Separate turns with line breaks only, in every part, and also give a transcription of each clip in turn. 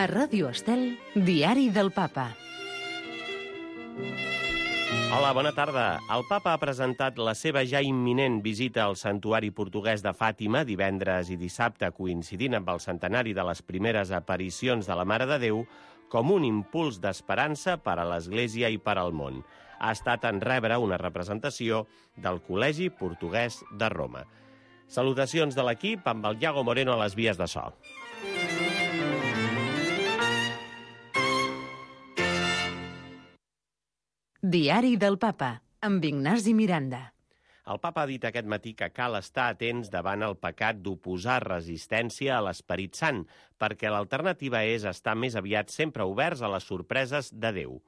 A Ràdio Estel, Diari del Papa.
Hola, bona tarda. El Papa ha presentat la seva ja imminent visita al santuari portuguès de Fàtima divendres i dissabte, coincidint amb el centenari de les primeres aparicions de la Mare de Déu, com un impuls d'esperança per a l'Església i per al món. Ha estat en rebre una representació del Col·legi Portuguès de Roma. Salutacions de l'equip amb el Iago Moreno a les vies de so.
Diari del Papa, amb Ignasi Miranda.
El Papa ha dit aquest matí que cal estar atents davant el pecat d'oposar resistència a l'Esperit Sant, perquè l'alternativa és estar més aviat sempre oberts a les sorpreses de Déu.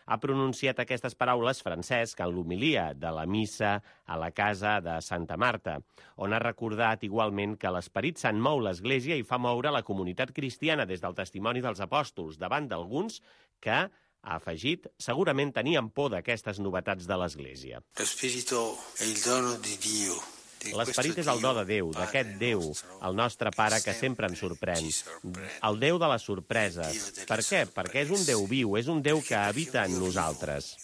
Ha pronunciat aquestes paraules Francesc en l'homilia de la missa a la casa de Santa Marta, on ha recordat igualment que l'Esperit Sant mou l'Església i fa moure la comunitat cristiana des del testimoni dels apòstols davant d'alguns que, ha afegit, segurament tenien por d'aquestes novetats de l'Església. L'esperit és el do de Déu, d'aquest Déu, el nostre Pare que sempre ens sorprèn. El Déu de les sorpreses. Per què? Perquè és un Déu viu, és un Déu que habita en nosaltres.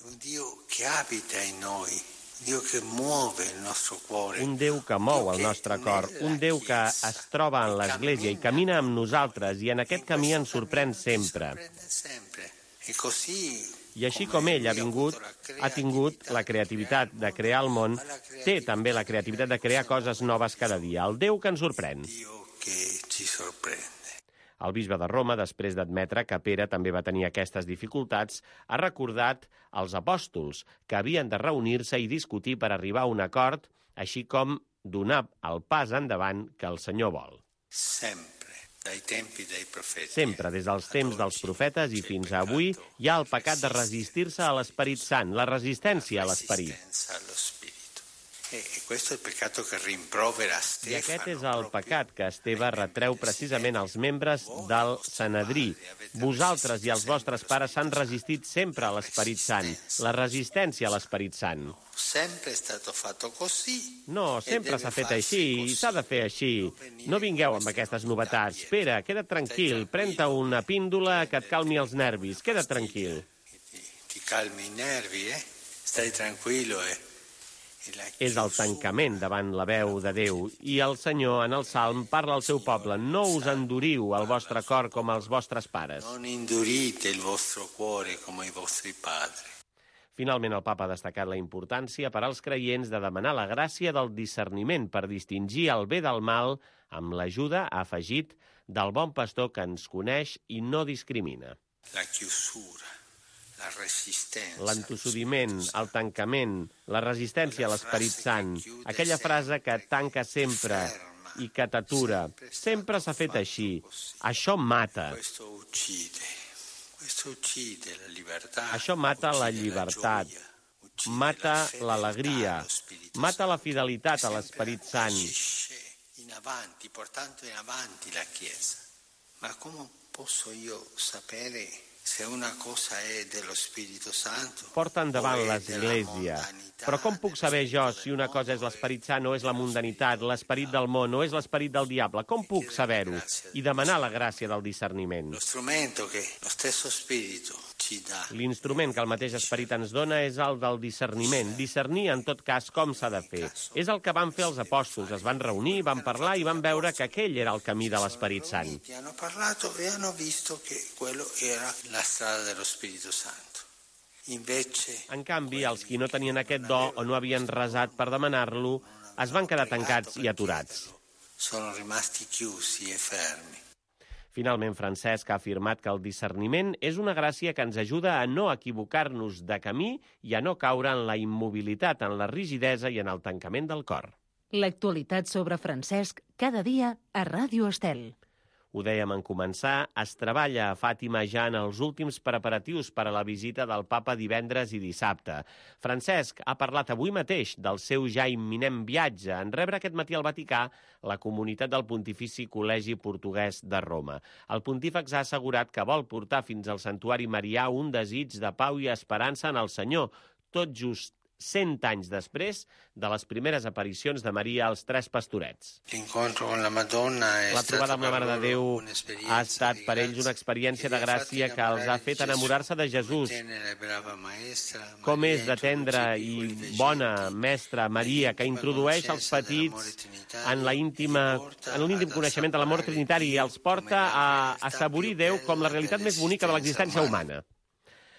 Un Déu que mou el nostre cor, un Déu que es troba en l'Església i camina amb nosaltres i en aquest camí ens sorprèn sempre. I així com ell ha tingut la creativitat de crear el món, té també la creativitat de crear coses noves cada dia. El Déu que ens sorprèn. El bisbe de Roma, després d'admetre que Pere també va tenir aquestes dificultats, ha recordat als apòstols que havien de reunir-se i discutir per arribar a un acord, així com donar el pas endavant que el Senyor vol. Sempre, des dels temps dels profetes i fins a avui, hi ha el pecat de resistir-se a l'Esperit Sant, la resistència a l'Esperit. I aquest és el pecat que Esteve retreu precisament als membres del Sanedrí. Vosaltres i els vostres pares s'han resistit sempre a l'Esperit Sant, la resistència a l'Esperit Sant. No, sempre s'ha fet així i s'ha de fer així. No vingueu amb aquestes novetats. Pere, queda't tranquil, pren-te una píndola que et calmi els nervis. Queda't tranquil. És el tancament davant la veu de Déu i el Senyor en el Salm parla al seu poble: no us enduriu el vostre cor com els vostres pares. Finalment, el Papa ha destacat la importància per als creients de demanar la gràcia del discerniment per distingir el bé del mal amb l'ajuda, ha afegit, del bon pastor que ens coneix i no discrimina. L'entossudiment, el tancament, la resistència a l'Esperit Sant, aquella frase que tanca sempre i que t'atura, sempre s'ha fet així. Això mata. Això mata la llibertat, mata l'alegria, mata la fidelitat a l'Esperit Sant.
Ma come posso io sapere se una cosa è dello Spirito Santo?
Porta endavant l'Església. Però com puc saber jo si una cosa és l'Esperit Sant o és la mundanitat, l'esperit del món o és l'esperit del diable? Com puc saber-ho? I demanar la gràcia del discerniment. L'instrument que el mateix esperit ens dona és el del discerniment. Discernir, en tot cas, com s'ha de fer. És el que van fer els apòstols. Es van reunir, van parlar i van veure que aquell era el camí de l'Esperit Sant.
Hanno parlato e hanno visto che quello era la strada dello Spirito Santo.
En canvi, els qui no tenien aquest do o no havien resat per demanar-lo es van quedar tancats i aturats.
Sono rimasti chiusi e fermi.
Finalment, Francesc ha afirmat que el discerniment és una gràcia que ens ajuda a no equivocar-nos de camí i a no caure en la immobilitat, en la rigidesa i en el tancament del cor.
L'actualitat sobre Francesc cada dia a Ràdio Estel.
Ho dèiem en començar, es treballa a Fàtima ja en els últims preparatius per a la visita del Papa divendres i dissabte. Francesc ha parlat avui mateix del seu ja imminent viatge en rebre aquest matí al Vaticà la comunitat del Pontifici Col·legi Portuguès de Roma. El pontífex ha assegurat que vol portar fins al santuari marià un desig de pau i esperança en el Senyor, tot just 100 anys després de les primeres aparicions de Maria als Tres Pastorets. La trobada amb la Mare de Déu ha estat per ells una experiència de gràcia que els ha fet enamorar-se de Jesús. Com és de tendra i bona mestra Maria, que introdueix els petits en l'íntim coneixement de l'amor trinitari i els porta a assaborir Déu com la realitat més bonica de l'existència humana.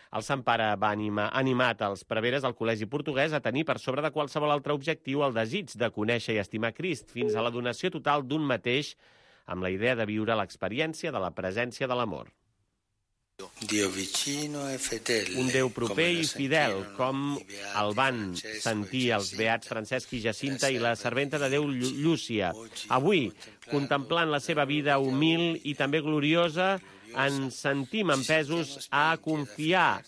El Sant Pare va animat els preveres al Col·legi Portuguès a tenir per sobre de qualsevol altre objectiu el desig de conèixer i estimar Crist fins a la donació total d'un mateix amb la idea de viure l'experiència de la presència de l'amor. Un Déu proper i fidel, com el van sentir els beats Francesc i Jacinta i la serventa de Déu Llúcia. Avui, contemplant la seva vida humil i també gloriosa, ens sentim empesos a confiar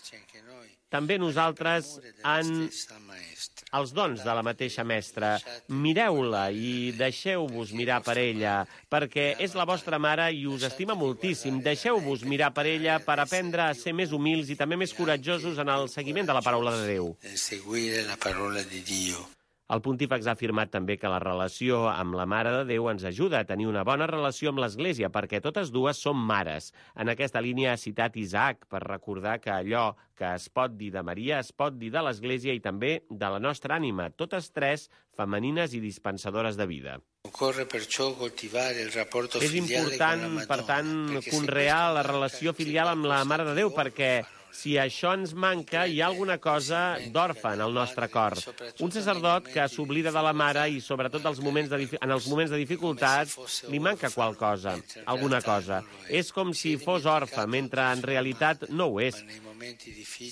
també nosaltres en els dons de la mateixa mestra. Mireu-la i deixeu-vos mirar per ella, perquè és la vostra mare i us estima moltíssim. Deixeu-vos mirar per ella per aprendre a ser més humils i també més coratjosos en el seguiment de la paraula de Déu. El pontífex ha afirmat també que la relació amb la Mare de Déu ens ajuda a tenir una bona relació amb l'Església, perquè totes dues són mares. En aquesta línia ha citat Isaac per recordar que allò que es pot dir de Maria es pot dir de l'Església i també de la nostra ànima, totes tres femenines i dispensadores de vida. És important, per tant, conrear la relació filial amb la Mare de Déu, perquè si això ens manca, hi ha alguna cosa d'orfe en el nostre cor. Un sacerdot que s'oblida de la mare i, sobretot en els moments de dificultat, li manca alguna cosa. És com si fos orfe, mentre en realitat no ho és.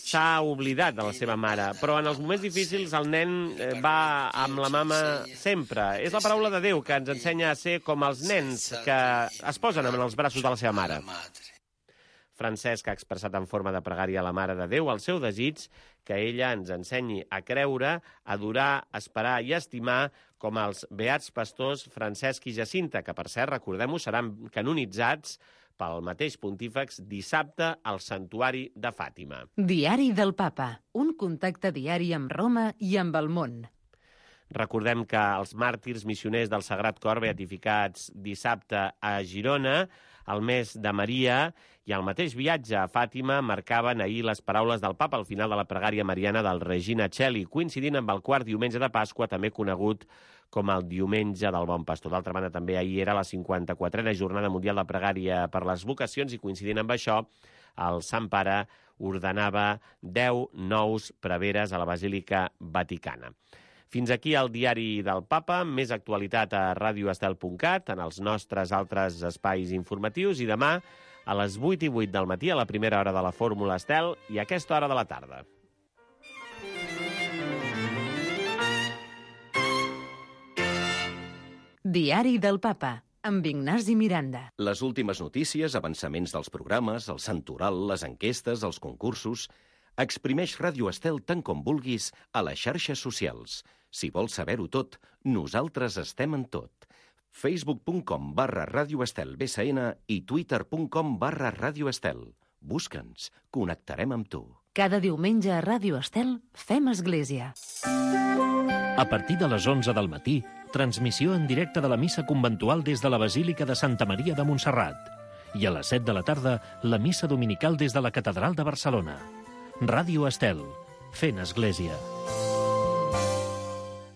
S'ha oblidat de la seva mare, però en els moments difícils el nen va amb la mama sempre. És la paraula de Déu que ens ensenya a ser com els nens que es posen en els braços de la seva mare. Francesc ha expressat en forma de pregària a la Mare de Déu el seu desig que ella ens ensenyi a creure, adorar, esperar i estimar com els beats pastors Francesc i Jacinta, que, per cert, recordem-ho, seran canonitzats pel mateix pontífex dissabte al Santuari de Fàtima.
Diari del Papa, un contacte diari amb Roma i amb el món.
Recordem que els màrtirs missioners del Sagrat Cor, beatificats dissabte a Girona, el mes de Maria i el mateix viatge a Fàtima marcaven ahir les paraules del Papa al final de la pregària mariana del Regina Coeli, coincidint amb el quart diumenge de Pasqua, també conegut com el Diumenge del Bon Pastor. D'altra banda, també ahir era la 54a Jornada Mundial de Pregària per les Vocacions i coincidint amb això, el Sant Pare ordenava 10 nous preveres a la Basílica Vaticana. Fins aquí el diari del Papa, més actualitat a radioestel.cat, en els nostres altres espais informatius, i demà a les 8:08 del matí, a la primera hora de la Fórmula Estel, i a aquesta hora de la tarda.
Diari del Papa, amb Ignasi Miranda.
Les últimes notícies, avançaments dels programes, el santoral, les enquestes, els concursos... Exprimeix Ràdio Estel tant com vulguis a les xarxes socials. Si vols saber-ho tot, nosaltres estem en tot. Facebook.com/Ràdio Estel BSN i Twitter.com/Ràdio Estel. Busca'ns, connectarem amb tu.
Cada diumenge a Ràdio Estel fem església.
A partir de les 11 del matí, transmissió en directe de la missa conventual des de la Basílica de Santa Maria de Montserrat. I a les 7 de la tarda, la missa dominical des de la Catedral de Barcelona. Ràdio Estel, fent església.